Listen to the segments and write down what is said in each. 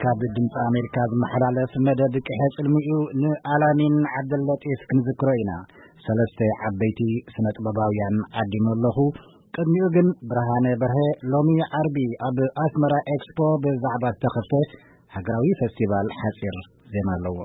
ካብ ድምፂ ኣሜሪካ ዝመሓላለፍ መደብ ቅሐ ፅልሚ እዩ። ንኣላሚን ዓብደለጢፍ ክንዝክሮ ኢና። ሰለስተ ዓበይቲ ስነ ጥበባውያን ዓዲሙ ኣለኹ። ቅድሚኡ ግን ብርሃነ በርሀ ሎሚ ዓርቢ ኣብ ኣስመራ ኤክስፖ ብዛዕባ ዝተኸፍተ ሃገራዊ ፈስቲቫል ሓፂር ዜና ኣለዎ።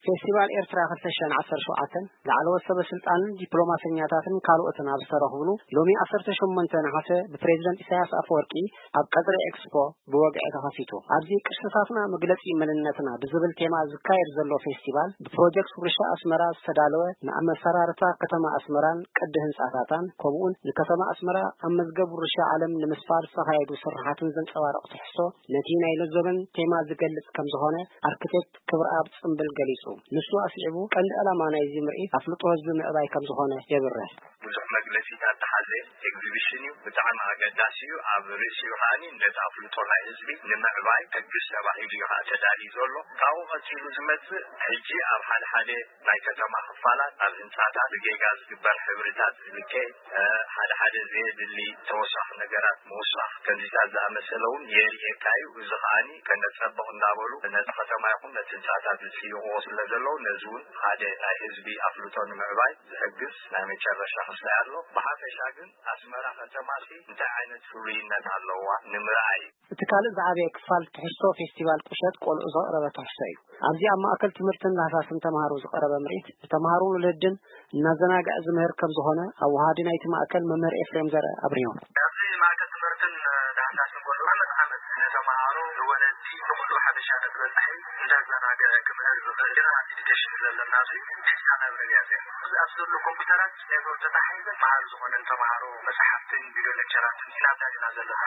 ፌስቲቫል ኤርትራ ክልተ ሽሕን ዓሰርተ ሸውዓተን ላዕለዎት ሰበ ስልጣንን ዲፕሎማሰኛታትን ካልኦትን ኣብ ዝተረኽብሉ፣ ሎሚ ዓሰርተ ሸሞንተ ነሓሰ ብፕሬዚደንት ኢሳያስ ኣፈወርቂ ኣብ ቀጽሪ ኤክስፖ ብወግዒ ተኸፊቱ። ኣብዚ ቅርስታትና መግለጺ መንነትና ብዝብል ቴማ ዝካየድ ዘሎ ፌስቲቫል፣ ብፕሮጀክት ውርሻ ኣስመራ ዝተዳለወ፣ ንኣመሰራርታ ከተማ ኣስመራን ቅዲ ህንጻታታን፣ ከምኡውን ንከተማ ኣስመራ ኣብ መዝገብ ውርሻ ዓለም ንምስፋር ዝተኻየዱ ስርሓትን ዘንጸባርቕ ትሕዝቶ፣ ነቲ ናይ ሎዞበን ቴማ ዝገልጽ ከም ዝኾነ ኣርክቴክት ክብረኣብ ጽምብል ገሊጹ። ንሱ ኣስዒቡ፣ ቀንዲ ዕላማ ናይዚ ምርኢት ኣፍልጦ ህዝቢ ምዕባይ ከም ዝኾነ የብርህ። ብዙሕ መግለጺታት ዝሓዘ ኤግዚቢሽን እዩ። ብጣዕሚ ኣገዳሲ እዩ። ኣብ ርእሲኡ ከኣኒ ነቲ ኣፍልጦ ናይ ህዝቢ ንምዕባይ ሕግዝ ተባሂሉ እዩ ከኣ ተዳልዩ ዘሎ። ካብኡ ቀጺሉ ዝመጽእ፣ ሕጂ ኣብ ሓደ ሓደ ናይ ከተማ ክፋላት፣ ኣብ ህንጻታት ብጌጋ ዝግበር ሕብርታት ዝልከ፣ እ፣ ሓደ ሓደ ዘየድሊ ተወሳኺ ነገራት ምውሳኽ፣ ከምዚታት ዝኣመሰለ እውን የርእየካ እዩ። እዚ ከኣኒ ከነጸብቕ እንዳበሉ ነቲ ከተማ ይኹን ነቲ ህንጻታት ዝጽይቕዎ ስለ ዘለዉ፣ ነዚ እውን ሓደ ናይ ህዝቢ ኣፍልጦ ንምዕባይ ዝሕግዝ ናይ መጨረሻ ክስታይ ኣሎ። ብሓፈሻ ግን ኣስመራ ከተማሲ እንታይ ዓይነት ፍሉይነት ኣለዋ ንምርኣይ እዩ። እቲ ካልእ ዝዓበየ ክፋል ትሕዝቶ ፌስቲቫል ቁሸት ቆልዑ ዘቕረበ ትሕዝቶ እዩ። ኣብዚ ኣብ ማእከል ትምህርትን ዳህሳስን ተምሃሮ ዝቐረበ ምርኢት፣ ንተምሃሮን ወለድን እናዘናግዐ ዝምህር ከም ዝኾነ ኣወሃዲ ናይቲ ማእከል መምህር ኤፍሬም ዘርአ ኣብሪሁ። ኣብዚ ማእከል ትምህርትን ዳህሳስን ቆልዑ ዓመት ዓመት ንተምሃሮ፣ ንወለዲ፣ ንኹሉ ሓበሻ ተበጻሒ እንዳዘናግዐ ክምህር ዝኽእል ጀነራል ኤዱኬሽን ዘለና እዚ ቴስታ ላይብረሪ እያ። እዚ ኣብዚ ዘሎ ኮምፒውተራት ኔትወርክ ተታሒዘ መሃሪ ዝኾነን ተምሃሮ መጽሓፍትን ቪድዮ ሌክቸራትን ኢና ኣዳሊና ዘለና።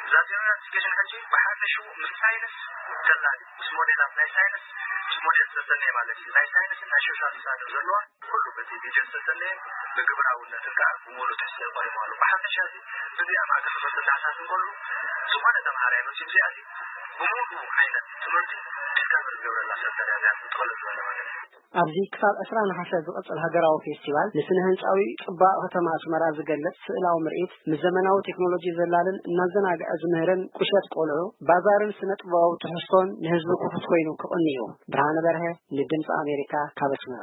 እዛ ጀነራል ኤዱኬሽን ሕጂ ብሓፈሽኡ ምስ ሳይንስ ተላሊ፣ ምስ ሞዴላት ናይ ሳይንስ፣ ምስ ሞዴል ዝተሰነየ ማለት እዩ። ናይ ሳይንስን ናይ ሶሻል ሳይንስ ዘለዋ ኩሉ በቲ ቪድዮ ዝተሰነየ ብግብራውነትን ከዓ ብምሉእ ትሕዝቶ ቀሪቡ ኣሎ። ብሓፈሻ እዚ እዚኣ ማእከል ትምህርቲ እንዳሓሳስ እንከሎ ዝኾነ ተምሃራይ መፂኡ እዚኣ እዚ ብምሉእ ዓይነት ትምህርቲ ዲስካቨር ዝገብረላ ሰንተር እያ እዚኣ ትጥቕልል ዝበለ ማለት እዩ። ኣብዚ ክሳብ ዕስራ ነሓሰ ዝቐጽል ሃገራዊ ፌስቲቫል፣ ንስነ ህንጻዊ ጽባቐ ከተማ ኣስመራ ዝገልጽ ስእላዊ ምርኢት፣ ምስ ዘመናዊ ቴክኖሎጂ ዘላልን እናዘናግዐ ዝምህርን ቁሸት ቆልዑ፣ ባዛርን ስነ ጥበባዊ ትሕዝቶን ንህዝቢ ክፉት ኮይኑ ክቕኒ እዩ። ብርሃነ በርሀ፣ ንድምፂ ኣሜሪካ፣ ካብ ኣስመራ።